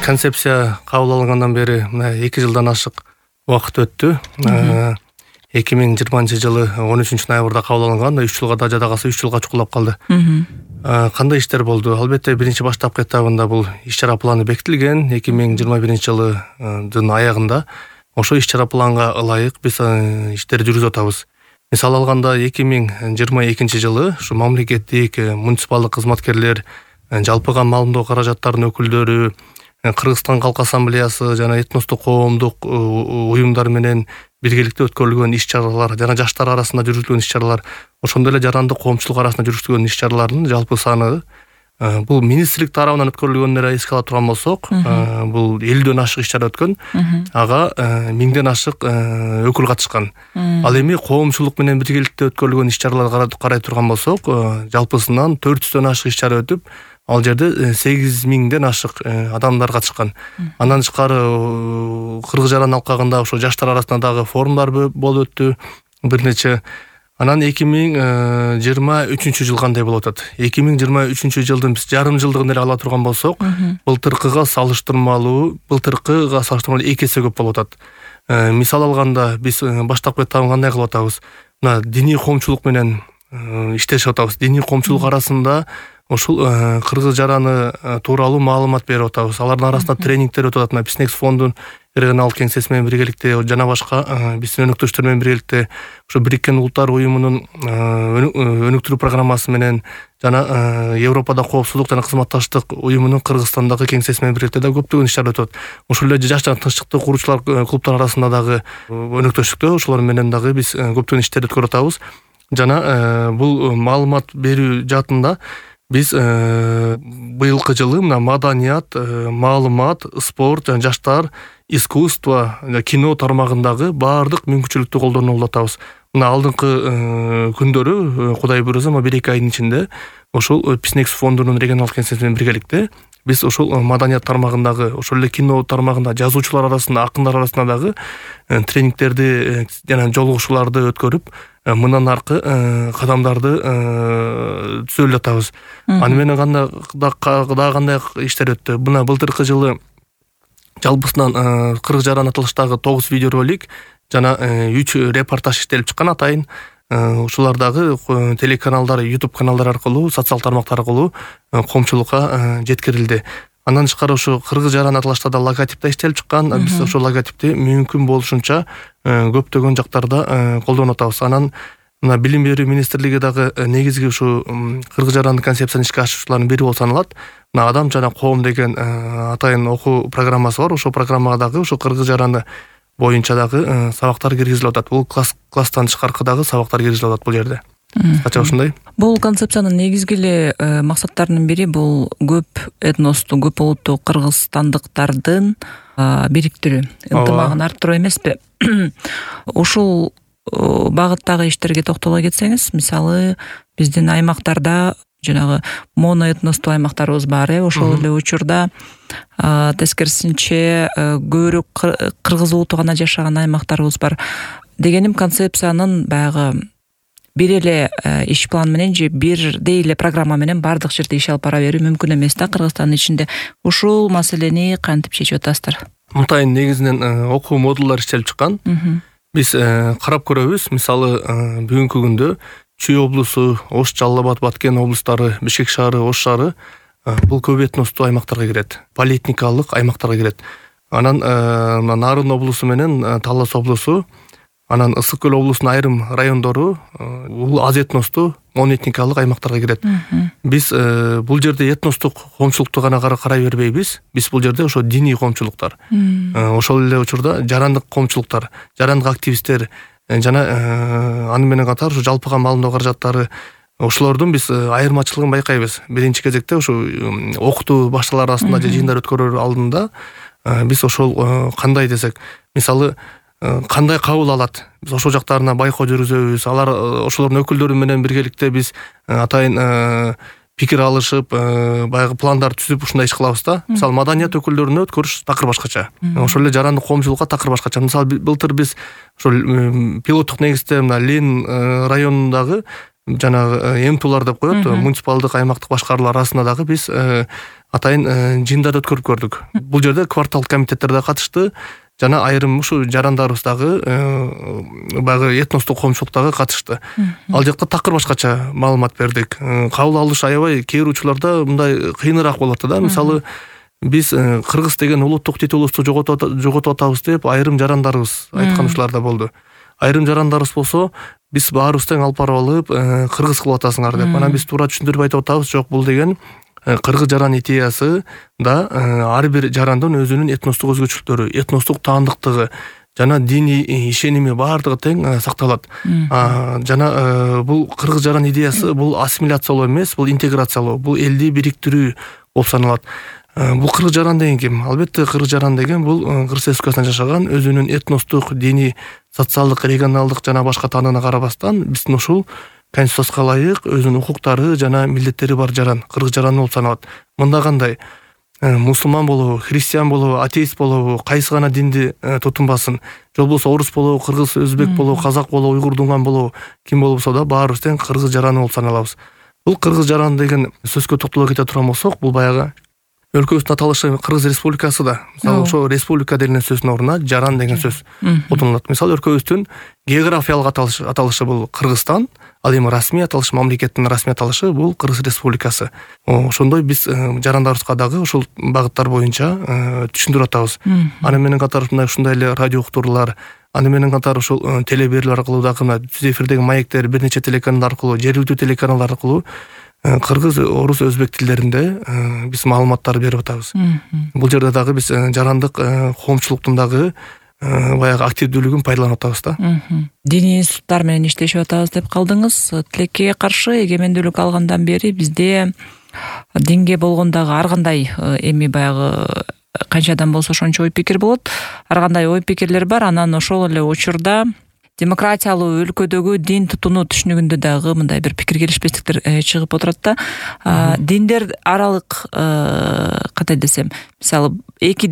Концепция кабыл алынгандан бери 2 жылдан ашык убакыт өттү. 2020 жылы 13 ноябрда кабыл алынган, 3 жылга да жада калса 3 жылга чукулап калды. Кандай иштер болду? Албетте биринчи баштапкы этабында бул иш-чара планы бекитилген. 2021 жылдын аягында ошо иш-чара планга ылайык биз иштерди жүргүзүп атабыз. Мисал алганда 2022 жылы ушу мамлекеттик муниципалдык кызматкерлер, жалпыга маалымдоо каражаттарынын өкүлдөрү, Кыргызстан Калк Ассамблеясы жана этностук коомдук уюмдар менен биргеликте өткөрүлгөн иш-чаралар жана жаштар арасында жүргүзүлгөн иш-чаралар, ошондой эле жарандык коомчулук арасында жүргүзүлгөн иш-чаралардын жалпы саны бул министрлик тарабынан өткөрүлгөнүн эске ала турган болсок, бул 50дөн ашык иш-чара өткөн. Ага 1000ден ашык өкүл катышкан. Ал эми коомчулук менен биргеликте өткөрүлгөн иш-чараларга карай турган болсок, жалпысынан 400дөн ашык иш-чара өтүп, ал жерде 8000ден ашык адамдар катышкан. Андан тышкары Кыргыз жаран алкагында ошо жаштар арасында дагы форумдар болуп өттү бир нече. Анан 2023 жыл кандай болуп атат? 2023 жылдын биз жарым жылдыгын эле ала турган болсок, былтыркыга салыштырмалуу 2 эсе көп болуп атат. Мисал алганда биз баштапкы этабын кандай кылып атабыз? Мына диний коомчулук менен иштешип атабыз. Диний коомчулук арасында ошол кыргыз жараны тууралуу маалымат берип атабыз. Алардын арасында тренингдер өтүп атат. Бизнес фондун регионалдык кеңсеси менен биргеликте жана башка биздин өнөктөштөр менен биргеликте ошо Бириккен Улуттар уюмунун өнүктүрүү программасы менен жана Европада коопсуздук жана кызматташтык уюмунун Кыргызстандагы кеңсеси менен биргеликте да көптөгөн иш-чара өтөт. Ошол эле жаш жана тынччыкты куруучулар клубтар арасында дагы өнөктөштүктө ошолор менен дагы биз көптөгөн иштерди өткөрүп атабыз. Жана бул маалымат берүү жаатында биз быйылкы жылы мына маданият, маалымат, спорт жана жаштар, искусство, кино тармагындагы баардык мүмкүнчүлүктү колдонуп атабыз. Мына алдыңкы күндөрү Кудай буйрса 1-2 айдын ичинде ошол Бизнес фондунун регионалдык кеңсеси менен биргеликте биз ошол маданият тармагындагы, ошол эле кино тармагында жазуучулар арасында, акындар арасында дагы тренингтерди жана жолугушууларды өткөрүп, мындан аркы кадамдарды түзөлүп атабыз. Аны менен кандай иштер өттү? Мына былтыркы жылы жалпысынан Кыргыз жаран аталыштагы 9 видеоролик жана 3 репортаж иштелип чыккан атайын. Ушулар дагы телеканалдар, YouTube каналдар аркылуу, социал тармактар аркылуу коомчулукка жеткирилди. Андан тышкары ошо Кыргыз жаран аталышта да логотип да иштелип чыккан. Биз ошол логотипти мүмкүн болушунча көптөгөн жактарда колдонуп атабыз. Анан мына Билим берүү министрлиги дагы негизги ушу Кыргыз жарандын концепциясын ишке ашыруучулардын бири болуп саналат. Мына Адам жана коом деген атайын окуу программасы бар. Ошол программага дагы ошо Кыргыз жараны боюнча дагы сабактар киргизилип атат. Бул класстан тышкаркы дагы сабактар киргизилип атат бул жерде. Кача ушундай. Бул концепциянын негизги эле максаттарынын бири бул көп этносту, көп улуттуу кыргызстандыктардын бириктирүү, ынтымагын арттыруу эмеспи? Ушул багыттагы иштерге токтоло кетсеңиз, мисалы биздин аймактарда жанагы моноэтностуу аймактарыбыз бар, ошол эле учурда тескерисинче көбүрөөк кыргыз улуту гана жашаган аймактарыбыз бар. Дегеним концепциянын баягы бир эле иш план менен же бирдей эле программа менен бардык жерде иш алып бара берүү мүмкүн эмес да Кыргызстандын ичинде. Ушул маселени кантип чечип атасыздар? Мынтайын негизинен окуу модулдар иштелип чыккан. Биз карап көрөбүз. Мисалы бүгүнкү күндө Чүй облусу, Ош, Жалал Абад, Баткен облустары, Бишкек шаары, Ош шаары бул көп этностуу аймактарга кирет. Полиэтникалык аймактарга кирет. Анан Нарын облусу менен Талас облусу, анан Ысык көл облусунун айрым райондору бул аз этностуу моноэтникалык аймактарга кирет. Биз бул жерде этностук коомчулукту гана карай бербейбиз. Биз бул жерде ошо диний коомчулуктар, ошол эле учурда жарандык коомчулуктар, жарандык активисттер жана аны менен катар ушу жалпыга маалымдоо каражаттары, ошолордун биз айырмачылыгын байкайбыз. Биринчи кезекте ушу окутуу башталар арасында же жыйындар өткөрөр алдында биз ошол кандай десек, мисалы кандай кабыл алат, биз ошол жактарына байкоо жүргүзөбүз. Алар ошолордун өкүлдөрү менен биргеликте биз атайын пикир алышып, баягы пландар түзүп ушундай иш кылабыз да. Мисалы маданият өкүлдөрүнө өткөрүш такыр башкача. Ошол эле жарандык коомчулукка такыр башкача. Мисалы былтыр биз ошол пилоттук негизде мына Лен районундагы жанагы МТУлар деп коет, муниципалдык аймактык башкаруулар арасында дагы биз атайын жыйындарды өткөрүп көрдүк. Бул жерде кварталдык комитеттер да катышты, жана айрым ушу жарандарыбыз дагы баягы этностук коомчулук дагы катышты. Ал жакта такыр башкача маалымат бердик. Кабыл алыш аябай кээ бир учурларда мындай кыйыныраак болот да. Мисалы биз кыргыз деген улуттук титулубузду жоготуп атабыз деп айрым жарандарыбыз айткан учурлар да болду. Айрым жарандарыбыз болсо биз баарыбыз тең алып барып алып кыргыз кылып атасыңар деп. Анан биз туура түшүндүрүп айтып атабыз, жок, бул деген кыргыз жаран идеясы да ар бир жарандын өзүнүн этностук өзгөчөлүктөрү, этностук таандыктыгы жана диний ишеними баардыгы тең сакталат. Жана бул кыргыз жаран идеясы бул ассимиляциялоо эмес, бул интеграциялоо, бул элди бириктирүү болуп саналат. Бул кыргыз жаран деген ким? Албетте кыргыз жаран деген бул Кыргыз Республикасында жашаган, өзүнүн этностук, диний, социалдык, регионалдык жана башка таанына карабастан биздин ушул конституцияга ылайык өзүнүн укуктары жана милдеттери бар жаран, кыргыз жараны болуп саналат. Мында кандай? Мусулман болобу, христиан болобу, атеист болобу, кайсы гана динди тутунбасын, же болбосо орус болобу, кыргыз, өзбек болобу, казак болобу, уйгур, дунган болобу, ким болбосо да баарыбыз тең кыргыз жараны болуп саналабыз. Бул кыргыз жаран деген сөзгө токтоло кете турган болсок, бул баягы өлкөбүздүн аталышы Кыргыз Республикасы да. Мисалы ошо республика деген сөздүн ордуна жаран деген сөз колдонулат. Мисалы өлкөбүздүн географиялык аталышы бул Кыргызстан, ал эми расмий аталыш, мамлекеттин расмий аталышы бул Кыргыз Республикасы. Ошондой биз жарандарыбызга дагы ушул багыттар боюнча түшүндүрүп атабыз. Аны менен катар ушундай эле радио уктуруулар, аны менен катар ушул теле берүүлөр аркылуу дагы түз эфирдеги маектер, бир нече телеканалдар аркылуу, жергиликтүү телеканалдар аркылуу кыргыз, орус, өзбек тилдеринде биз маалыматтар берип атабыз. Бул жерде дагы биз жарандык коомчулуктун дагы баягы активдүүлүгүн пайдаланып атабыз да. Диний институттар менен иштешип атабыз деп калдыңыз. Тилекке каршы эгемендүүлүк алгандан бери бизде динге болгондагы ар кандай эми баягы канчадан болсо ошончо ой пикир болот. Ар кандай ой пикирлер бар. Анан ошол эле учурда демократиялуу өлкөдөгү дин тутунуу түшүнүгүндө дагы мындай бир пикир келишпестиктер чыгып отурат да. Диндер аралык кандай десем, мисалы эки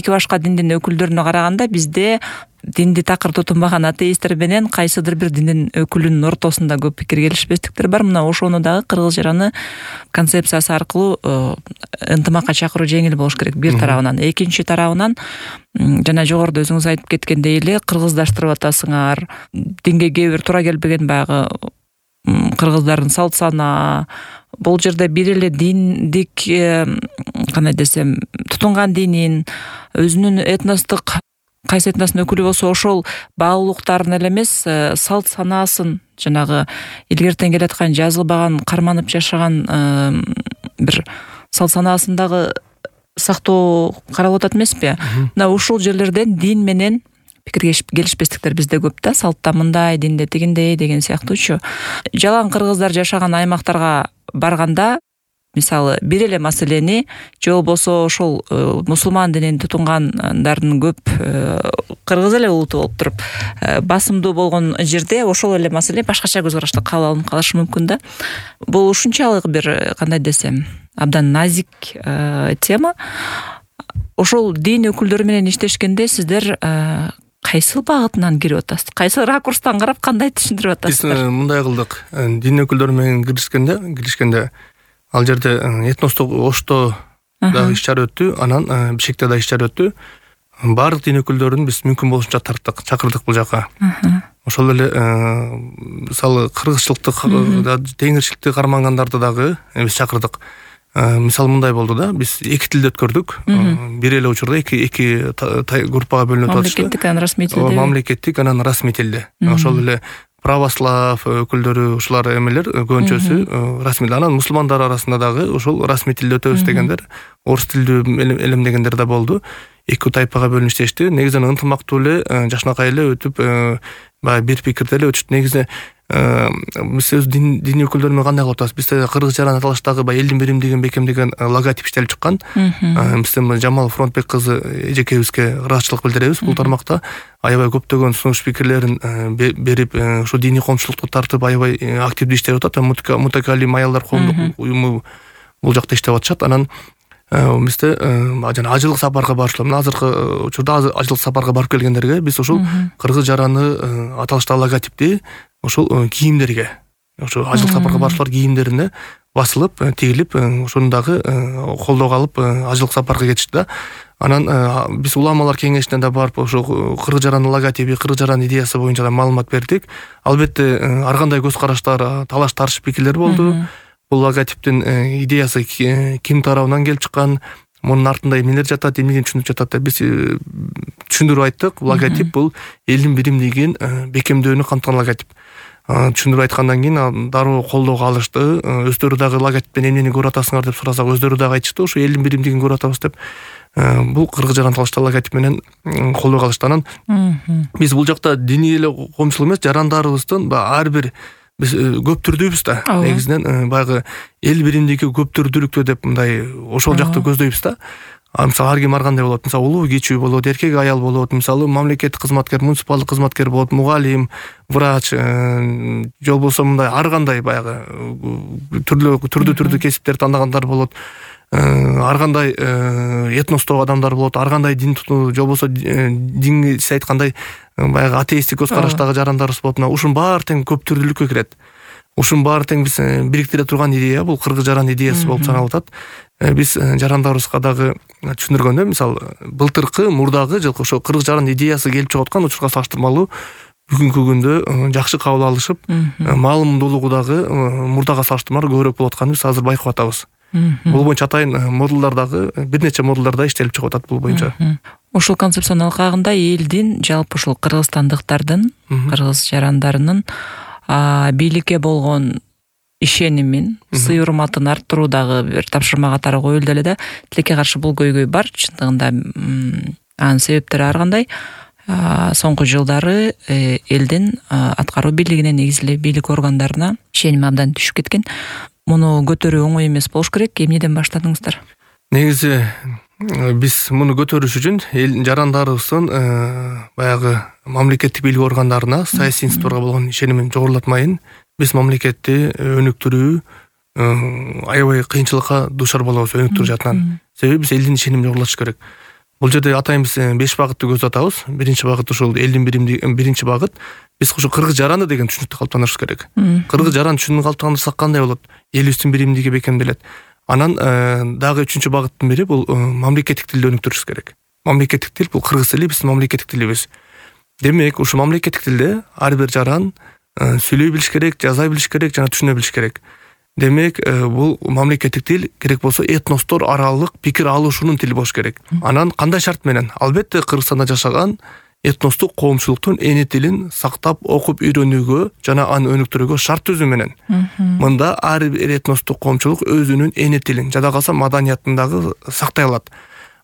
башка диндин өкүлдөрүнө караганда бизде динди такыр тутунбаган атеисттер менен кайсыдыр бир диндин өкүлүнүн ортосунда көп пикир келишпестиктер бар. Мына ошону дагы кыргыз жараны концепциясы аркылуу ынтымакка чакыруу жеңил болуш керек бир тарабынан. Экинчи тарабынан жана жогоруда өзүңүз айтып кеткендей эле кыргыздаштырып атасыңар, динге кээ бир туура келбеген баягы кыргыздардын салт сана, бул жерде бир эле диндик кандай десем тутунган динин, өзүнүн этностук кайсы этностун өкүлү болсо ошол баалуулуктарын эле эмес, салт санаасын, жанагы илгертен келаткан жазылбаган, карманып жашаган бир салт санаасын дагы сактоо каралып атат эмеспи? Мына ушул жерлерден дин менен пикир келишпестиктер бизде көп да, салтта мындай, динде тигиндей деген сыяктуучу. Жалаң кыргыздар жашаган аймактарга барганда, мисалы бир эле маселени же болбосо ошол мусулман динин тутунгандардын көп кыргыз эле улуту болуп туруп басымдуу болгон жерде ошол эле маселе башкача көз карашта кабыл алынып калышы мүмкүн да. Бул ушунчалык бир кандай десем абдан назик тема. Ошол дин өкүлдөрү менен иштешкенде сиздер кайсы багытынан кирип атасыз? Кайсы ракурстан карап кандай түшүндүрүп атасыздар? Биз мындай кылдык. Дин өкүлдөрү менен киришкенде ал жерде этностук Ошто да иш-чара өттү, анан Бишкекте да иш-чара өттү. Баардык дин өкүлдөрүн биз мүмкүн болушунча тарттык, чакырдык бул жака. Ошол эле мисалы кыргызчылыкты, теңирчиликти кармангандарды дагы биз чакырдык. Мисалы мындай болду да, биз эки тилде өткөрдүк. Бир эле учурда эки группага бөлүнүп атышты. Мамлекеттик анан расмий тилде. Мамлекеттик анан расмий тилде. Ошол эле православ өкүлдөрү, ушулар эмелер көбүнчөсү расмий. Анан мусулмандар арасында дагы ошол расмий тилде өтөбүз дегендер, орус тилдүү элем дегендер да болду. Эки тайпага бөлүнүп иштешти. Негизинен ынтымактуу эле, жакшынакай эле өтүп, баягы бир пикирде эле өтүштү. Негизи биз өз дин өкүлдөрү менен кандай кылып атабыз? Бизде кыргыз жаран аталыштагы баягы элдин биримдигин бекемдеген логотип иштелип чыккан. Бизден Жамал Фронтбек кызы эжекебизге ыраазычылык билдиребиз. Бул тармакта аябай көптөгөн сунуш пикирлерин берип, ушу диний коомчулукту тартып аябай активдүү иштеп атат. Мутакалим аялдар коомдук уюму бул жакта иштеп атышат. Анан бизде жана ажылык сапарга барышулар. Мына азыркы учурда ажылык сапарга барып келгендерге биз ушул кыргыз жараны аталыштагы логотипти ушул кийимдерге ошо ажылык сапарга баруучулар кийимдерине басылып, тигилип, ошону дагы колдоого алып ажылык сапарга кетишти да. Анан биз уламалар кеңешине да барып, ошо кыргыз жарандын логотипи, кыргыз жарандын идеясы боюнча да маалымат бердик. Албетте ар кандай көз караштар, талаш тартыш пикирлер болду. Бул логотиптин идеясы ким тарабынан келип чыккан, мунун артында эмнелер жатат, эмнеден түшүнүп жатат деп биз түшүндүрүп айттык. Логотип бул элдин биримдигин бекемдөөнү камтыган логотип. Түшүндүрүп айткандан кийин дароо колдоого алышты. Өздөрү дагы логотиптен эмнени көрүп атасыңар деп сурасак, өздөрү дагы айтышты, ошо элдин биримдигин көрүп атабыз деп. Бул кыргыз жаран талашта логотип менен колдоого алышты. Анан биз бул жакта диний эле коомчулук эмес, жарандарыбыздын ар бир биз көп түрдүүбүз да. Негизинен баягы эл биримдиги көп түрдүүлүктө деп мындай ошол жакты көздөйбүз да. Мисалы ар ким ар кандай болот. Мисалы улуу кичүү болот, эркек аял болот, мисалы мамлекеттик кызматкер, муниципалдык кызматкер болот, мугалим, врач, же болбосо мындай ар кандай баягы түрдүү кесиптер тандагандар болот. Ар кандай этностогу адамдар болот, ар кандай дин же болбосо динге сиз айткандай баягы атеисттик көз караштагы жарандарыбыз болот. Ушунун баары тең көп түрдүүлүккө кирет. Ушунун баары тең биз бириктире турган идея бул кыргыз жаран идеясы болуп саналып атат. Биз жарандарыбызга дагы түшүндүргөндө, мисалы былтыркы мурдагы жылкы ошо кыргыз жаран идеясы келип чыгып аткан учурга салыштырмалуу бүгүнкү күндө жакшы кабыл алышып, маалымдуулугу дагы мурдага салыштырмалуу көбүрөөк болуп атканын биз азыр байкап атабыз. Бул боюнча атайын модулдар дагы бир нече модулдарда иштелип чыгып атат бул боюнча. Ушул концепциянын алкагында элдин, жалпы ушул кыргызстандыктардын, кыргыз жарандарынын бийликке болгон ишенимин, сый урматын арттыруудагы бир тапшырма катары коюлду эле да. Тилекке каршы бул көйгөй бар, чындыгында анын себептери ар кандай. Соңку жылдары элдин аткаруу бийлигине, негизи эле бийлик органдарына ишеним абдан түшүп кеткен. Муну көтөрүү оңой эмес болуш керек. Эмнеден баштадыңыздар? Негизи биз муну көтөрүш үчүн жарандарыбыздын баягы мамлекеттик бийлик органдарына, саясий институттарга болгон ишенимин жогорулатмайын, биз мамлекетти өнүктүрүү аябай кыйынчылыкка дуушар болобуз, өнүктүрүү жактан. Себеби биз элдин ишенимин жогорулатыш керек. Бул жерде атайын биз 5 багытты көздөп атабыз. Биринчи багыт ушул элдин биримдиги, биринчи багыт биз ушу кыргыз жараны деген түшүнүктү калыптандырыш керек. Кыргыз жаран түшүнүгүн калыптандырсак кандай болот? Элибиздин биримдиги бекемделет. Анан дагы 3-чү багыттын бири бул мамлекеттик тилди өнүктүрүш керек. Мамлекеттик тил бул кыргыз тили биздин мамлекеттик тилибиз. Демек, ушу мамлекеттик тилде ар бир жаран сүйлөй билиш керек, жаза билиш керек, жана түшүнө билиш керек. Демек, бул мамлекеттик тил керек болсо этностор аралык пикир алышуунун тили болуш керек. Анан кандай шарт менен? Албетте Кыргызстанда жашаган этностук коомчулуктун эне тилин сактап, окуп үйрөнүүгө жана аны өнүктүрүүгө шарт түзүү менен. Мында ар бир этностук коомчулук өзүнүн эне тилин, жада калса маданиятын дагы сактай алат.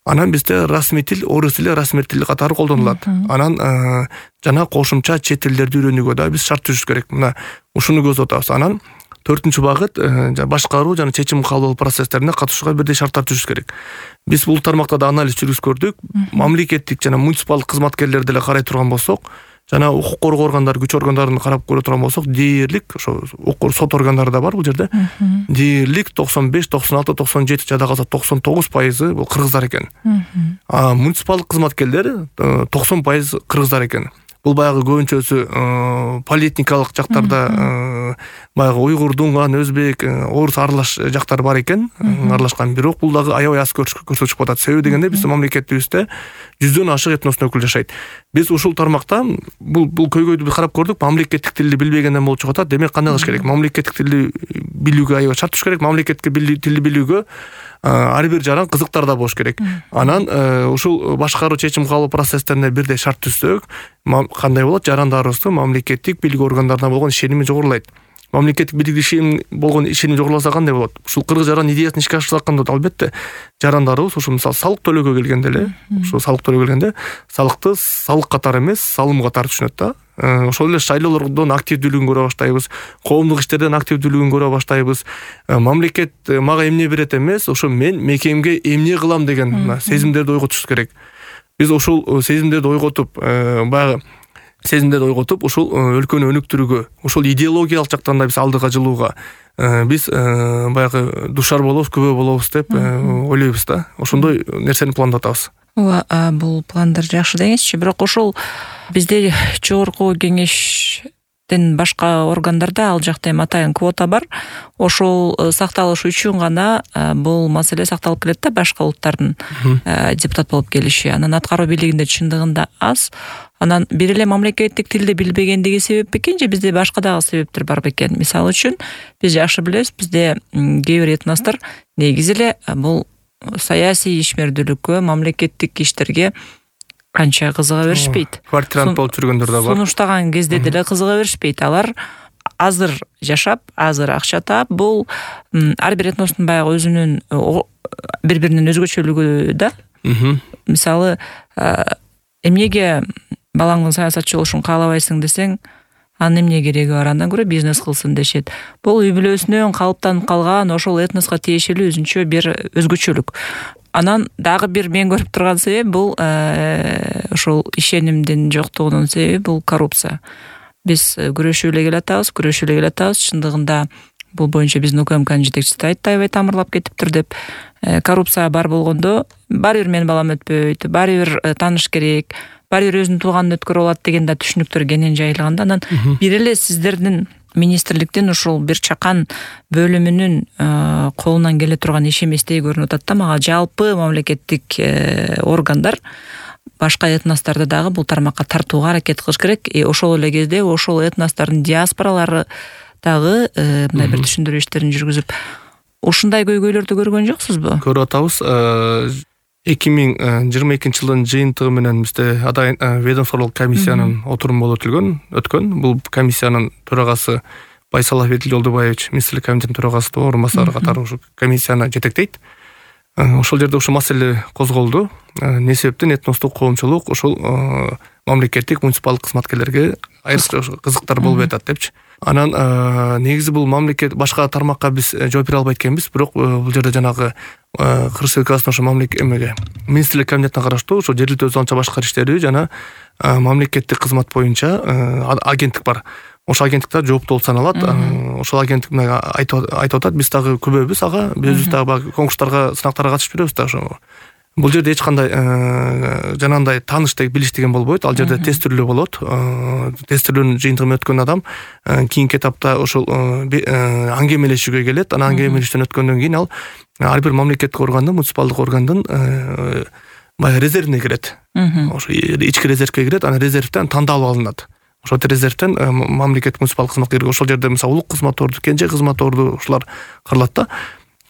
Анан бизде расмий тил, орус тили расмий тил катары колдонулат. Анан жана кошумча чет тилдерди үйрөнүүгө да биз шарт түзүш керек. Мына ушуну көздөп атабыз. Анан 4-чү багыт башкаруу жана чечим кабыл алуу процесстерине катышууга бирдей шарттар түзүш керек. Биз бул тармакта да анализ жүргүзүп көрдүк. Мамлекеттик жана муниципалдык кызматкерлерди эле карай турган болсок, жана укук коргоо органдары, күч органдарын карап көрө турган болсок, дээрлик ошо сот органдары да бар бул жерде. Дээрлик 95, 96, 97, жада калса 99% бул кыргыздар экен. Муниципалдык кызматкерлер 90% кыргыздар экен. Бул баягы көбүнчөсү политникалык жактарда баягы уйгур, дунган, өзбек, орус аралаш жактар бар экен, аралашкан. Бирок бул дагы аябай аз көрсөтүп атат. Себеби дегенде биздин мамлекетибизде 100дөн ашык этностун өкүлү жашайт. Биз ушул тармакта бул көйгөйдү карап көрдүк. Мамлекеттик тилди билбегенден болуп чыгып атат. Демек кандай кылыш керек? Мамлекеттик тилди билүүгө аябай шарт түшүш керек. Мамлекеттик тилди билүүгө ар бир жаран кызыктар да болуш керек. Анан ушул башкаруу чечим кабыл процесстерине бирдей шарт түзсөк, кандай болот? Жарандарыбыздын мамлекеттик бийлик органдарына болгон ишеними жогорулайт. Мамлекеттик бийлик болгон ишеним жогоруласа кандай болот? Ушул кыргыз жаран идеясын ишке ашырсаканда албетте жарандарыбыз ушул мисалы салык төлөөгө келгенде эле, ушул салык төлөөгө келгенде салыкты салык катары эмес, салым катары түшүнөт да. Ошол эле шайлоолордон активдүүлүгүн көрө баштайбыз, коомдук иштерден активдүүлүгүн көрө баштайбыз. Мамлекет мага эмне берет эмес, ошо мен мекемге эмне кылам деген сезимдерди ойготуш керек. Биз ушул сезимдерди ойготуп, баягы сезимдерди ойготуп, ушул өлкөнү өнүктүрүүгө, ушул идеологиялык жактан да биз алдыга жылууга биз баягы душар болобуз, күбө болобуз деп ойлойбуз да. Ошондой нерсени пландап атабыз. Бул пландар жакшы деңизчи, бирок ошол бизде жогорку кеңеште башка органдарда ал жакта эми атайын квота бар. Ошол сакталыш үчүн гана бул маселе сакталып келет да, башка улуттардын депутат болуп келиши. Анан аткаруу бийлигинде чындыгында аз. Анан бир эле мамлекеттик тилди билбегендиги себеп бекен же бизде башка дагы себептер бар бекен? Мисалы үчүн биз жакшы билебиз, бизде кээ бир этностор негизи эле бул саясий ишмердүүлүккө, мамлекеттик иштерге канча кызыга беришпейт. Квартирант болуп жүргөндөр да бар. Сунуштаган кезде деле кызыга беришпейт. Алар азыр жашап, азыр акча таап, бул ар бир этностун баягы өзүнүн бири-биринин өзгөчөлүгү да. Мисалы, эмнеге балаңдын саясатчы болушун каалабайсың десең, анын эмне кереги бар, андан көрө бизнес кылсын дешет. Бул үй бүлөсүнөн калыптанып калган ошол этноска тиешелүү өзүнчө бир өзгөчөлүк. Анан дагы бир мен көрүп турган себеп бул ошол ишенимдин жоктугунун себеби бул коррупция. Биз күрөшүп эле келатабыз, чындыгында бул боюнча биздин УКМКнын жетекчиси айтты, аябай тамырлап кетиптир деп. Коррупция бар болгондо баары бир менин балам өтпөйт, баары бир тааныш керек, баары бир өзүнүн тууганын өткөрүп алат деген да түшүнүктөр кенен жайылганда, анан бир эле сиздердин министрликтин ушул бир чакан бөлүмүнүн колунан келе турган иш эместей көрүнүп атат да мага. Жалпы мамлекеттик органдар башка этносторду дагы бул тармакка тартууга аракет кылыш керек. Ошол эле кезде ошол этностордун диаспоралары дагы мындай бир түшүндүрүү иштерин жүргүзүп, ушундай көйгөйлөрдү көргөн жоксузбу? Көрүп атабыз. 2022 жылдын жыйынтыгы менен бизде атайын ведомстволук комиссиянын отуруму болуп өткөн. Бул комиссиянын төрагасы Байсалов Эдил Жолдубаевич, министрлик комитетинин төрагасы орун басары катары ушу комиссияны жетектейт. Ошол жерде ушу маселе козголду. Не себептен этностук коомчулук ошол мамлекеттик муниципалдык кызматкерлерге айрыкча кызыктар болуп атат депчи. Анан негизи бул мамлекет башка тармакка биз жооп бере албайт экенбиз, бирок бул жерде жанагы Кыргыз Республикасынын ошо министрлик комитетине караштуу ошо жергиликтүү өз алынча башкаруу иштери жана мамлекеттик кызмат боюнча агенттик бар. Ошол агенттикте жооптуу болуп саналат. Ошол агенттик айтып атат, биз дагы күбөбүз ага, биз дагы конкурстарга, сынактарга катышып жүрөбүз да ошо. Бул жерде эч кандай жанагындай тааныштык билиш деген болбойт. Ал жерде тестирлөө болот. Тестирлөөнүн жыйынтыгын өткөн адам кийинки этапта ошол аңгемелешүүгө келет. Анан аңгемелештен өткөндөн кийин ал ар бир мамлекеттик органдын, муниципалдык органдын баягы резервине кирет. Ошо ички резервке кирет, анан резервден тандалып алынат. Ошол резервден мамлекеттик муниципалдык кызматкерге ошол жерде мисалы улук кызмат орду, кенже кызмат орду ушулар кырылат да.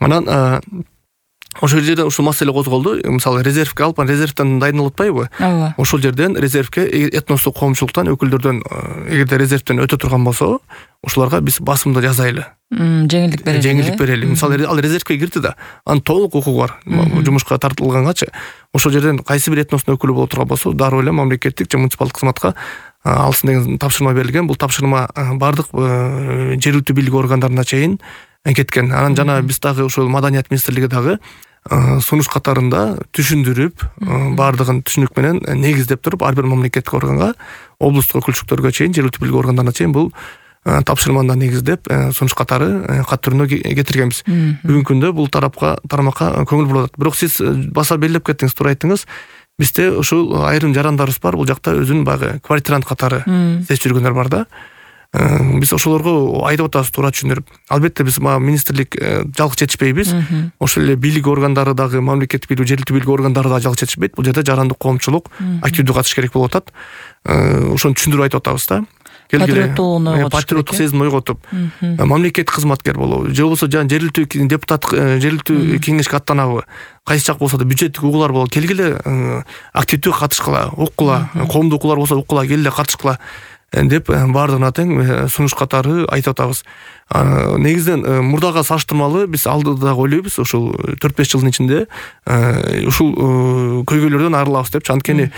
Анан ошол жерде ушул маселе козголду. Мисалы резервге алып, резервден дайындалып атпайбы? Ошол жерден резервге этностук коомчулуктан өкүлдөрдөн эгерде резервден өтө турган болсо, ошолорго биз басымды жазайлы. Жеңилдик берели. Жеңилдик берели. Мисалы ал резервге кирди да, анын толук укугу бар. Жумушка тартылгангачы ошол жерден кайсы бир этностун өкүлү боло турган болсо, дароо эле мамлекеттик же муниципалдык кызматка алсын деген тапшырма берилген. Бул тапшырма бардык жергиликтүү бийлик органдарына чейин кеткен. Анан жана биз дагы ошол маданият министрлиги дагы сунуш катарында түшүндүрүп, бардыгын түшүнүк менен негиздеп туруп, ар бир мамлекеттик органга, облустук өкүлчүлүктөргө чейин, жергиликтүү бийлик органдарына чейин бул тапшырманы негиздеп, сунуш катары кат түрүнө кетиргенбиз. Бүгүнкү күндө бул тармакка көңүл бурулат. Бирок сиз баса белгилеп кеттиңиз, туура айттыңыз. Бизде ушул айрым жарандарыбыз бар, бул жакта өзүнүн баягы квартирант катары сезип жүргөндөр бар да. Биз ошолорго айтып атабыз, туура түшүндүрүп. Албетте биз жалгыз жетишпейбиз. Ошол эле бийлик органдары дагы, мамлекеттик бийлик, жергиликтүү бийлик органдары дагы жалгыз жетишпейт. Бул жерде жарандык коомчулук активдүү катыш керек болуп атат. Ошону түшүндүрүп айтып атабыз да. Патриоттук сезимди ойготуп, мамлекеттик кызматкер болобу, же болбосо жергиликтүү депутат, жергиликтүү кеңешке аттанабы, кайсы жак болсо да бюджеттик угуулар болот, келгиле активдүү катышкыла, уккула, коомдук укуулар болсо уккула, келгиле катышкыла деп баардыгына тең сунуш катары айтып атабыз. Негизден мурдага салыштырмалуу биз алдыда ойлойбуз, ушул 4-5 жылдын ичинде ушул көйгөйлөрдөн арылабыз депчи. Анткени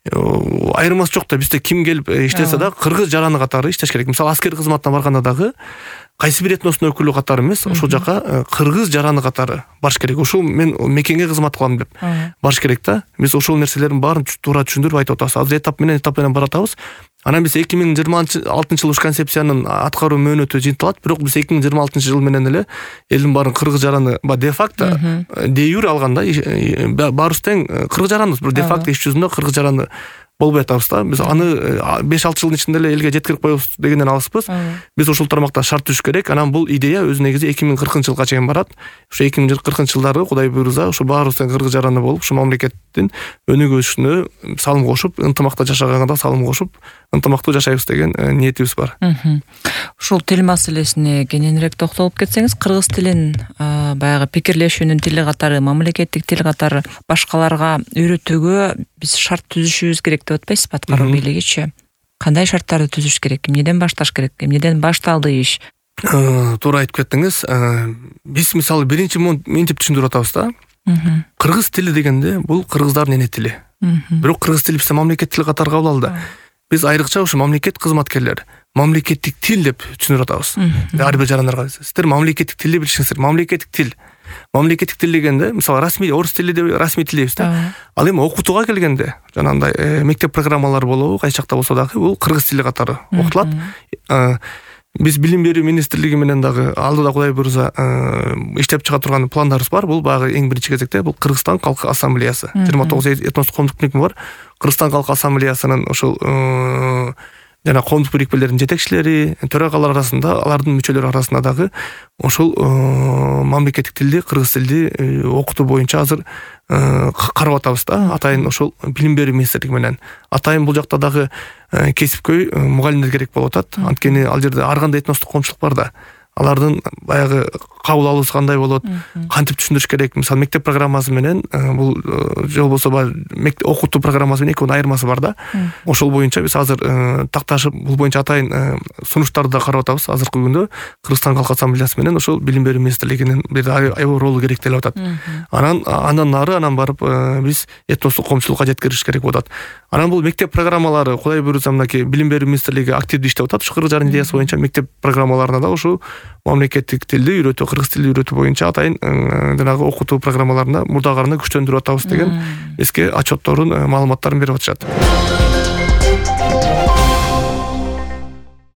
айырмасы жок да, бизде ким келип иштесе да кыргыз жараны катары иштеш керек. Мисалы аскер кызматына барганда дагы кайсы бир этностун өкүлү катары эмес, ошол жака кыргыз жараны катары барыш керек. Ушул мен мекенге кызмат кылам деп барыш керек да. Биз ошол нерселердин баарын туура түшүндүрүп айтып атабыз. Азыр этап менен баратабыз. Анан биз 2026 жыл уш концепциянын аткаруу мөөнөтү жыйынтылат, бирок биз 2026 жыл менен эле элдин баарын кыргыз жараны де-факто, де-юре алганда баарыбыз тең кыргыз жараныбыз, бирок де-факто иш жүзүндө кыргыз жараны болбой атабыз да. Биз аны 5-6 жылдын ичинде эле элге жеткирип коебуз дегенден алыспыз. Биз ушул тармакта шарт түзүш керек. Анан бул идея өз негизи 2040-жылга чейин барат. Ушу 2040-жылдары Кудай буйрса, ушу баарыбыз кыргыз жараны болуп, ушу мамлекеттин өнүгүшүнө салым кошуп, ынтымакта жашаганга салым кошуп, ынтымактуу жашайбыз деген ниетибиз бар. Ушул тил маселесине кененирээк токтолуп кетсеңиз, кыргыз тилин баягы пикирлешүүнүн тили катары, мамлекеттик тил катары башкаларга үйрөтүүгө биз шарт түзүшүбүз керек деп атпайсызбы, аткаруу бийлигичи? Кандай шарттарды түзүш керек? Эмнеден башташ керек? Эмнеден башталды иш? Туура айтып кеттиңиз. Биз мисалы биринчи мынтип түшүндүрүп атабыз да. Кыргыз тили дегенде бул кыргыздардын эне тили. Бирок кыргыз тили бизде мамлекеттик тил катары кабыл алды. Биз айрыкча ушу мамлекет кызматкерлер мамлекеттик тил деп түшүндүрүп атабыз. Ар бир жарандарга сиздер мамлекеттик тилди билишиңиздер. Мамлекеттик тил. Мамлекеттик тил дегенде, мисалы расмий орус тили деп расмий тил дейбиз да. Ал эми окутууга келгенде, жанагындай мектеп программалары болобу, кайсы жакта болсо дагы бул кыргыз тили катары окутулат. Биз билим берүү министрлиги менен дагы алдыда Кудай буйрса иштеп чыга турган пландарыбыз бар. Бул багы эң биринчи кезекте бул Кыргызстан Калк Ассамблеясы. 29 этностук коомдук бирикме бар. Кыргызстан Калк Ассамблеясынын ушул жана коомдук бирикмелердин жетекчилери, төрагалар арасында, алардын мүчөлөрү арасында дагы ошол мамлекеттик тилди, кыргыз тилди окутуу боюнча азыр карап атабыз да. Атайын ошол билим берүү министрлиги менен. Атайын бул жакта дагы кесипкөй мугалимдер керек болуп атат. Анткени ал жерде ар кандай этностук коомчулук бар да. Алардын баягы кабыл алуусу кандай болот, кантип түшүндүрүш керек. Мисалы мектеп программасы менен бул же болбосо окутуу программасы менен экөөнүн айырмасы бар да. Ошол боюнча биз азыр такташып бул боюнча атайын сунуштарды да карап атабыз. Азыркы күндө Кыргызстан Калк Ассамблеясы менен ошол билим берүү министрлигинин бир аябай ролу керектелип атат. Андан нары биз этностук коомчулукка жеткириш керек болот. Анан бул мектеп программалары Кудай буйрса мынакей билим берүү министрлиги активдүү иштеп атат. Ушу кыргыз жаран идеясы боюнча мектеп программаларына да ушу мамлекеттик тилди үйрөтүү, кыргыз тилди үйрөтүү боюнча атайын жанагы окутуу программаларына мурдагы арны күчтөндүрүп атабыз деген эске отчетторун, маалыматтарын берип атышат.